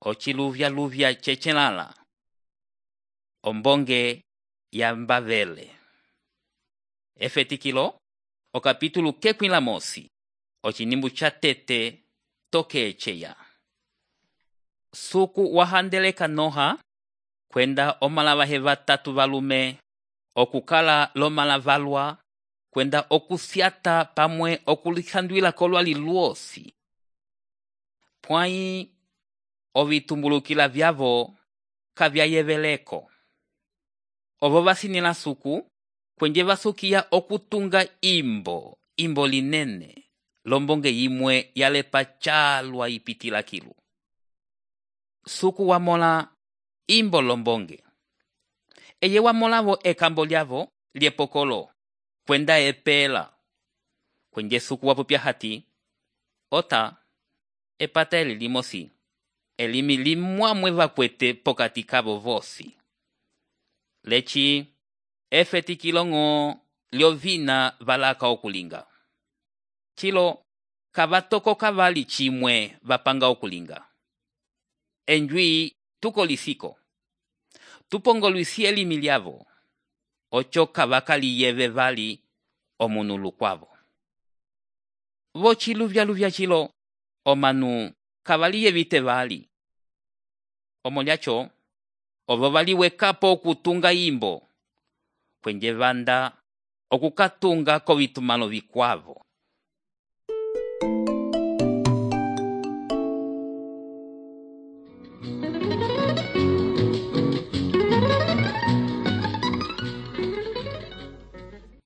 Ociluvya chechelala. Ombonge ya Mbavele. Efetikilo, o capítulo kekwila mosi. Ochinimbu cha tete toke echeya. Suku wahandeleka noha, kwenda omalavahe vatatu valume, okukala lomalavalwa, kwenda okusiata pamwe okulihandwila kolwali luosi. Pwai ovitumbulukila vyavo kavyayeveleko. Ovo vasinila suku, kwenye vasukia okutunga imbo linene, lombonge yimwe yalepa chalwa ipitila kilu. Suku wamola imbo lombonge. Eye wamolavo ekambo lyavo liepokolo, kwenda epela. Kwenye suku wapupya hati, ota, epata elilimosi, elimi limwamwe vakwete pokati kavo vosi. Lechi, efetikilongo liovina valaka okulinga. Chilo, kavatoko kavali chimwe vapanga okulinga. Enjui tukolisiko. Tupongoluisi elimi liavo. Ocho kavakali yeve vali omunulu kwavo. Vochiluvya chilo, omanu kavali yevite vali. Omoliacho, ovo vali wekapo okutunga imbo. Kwenye vanda okukatunga kovitumalo vikwavo.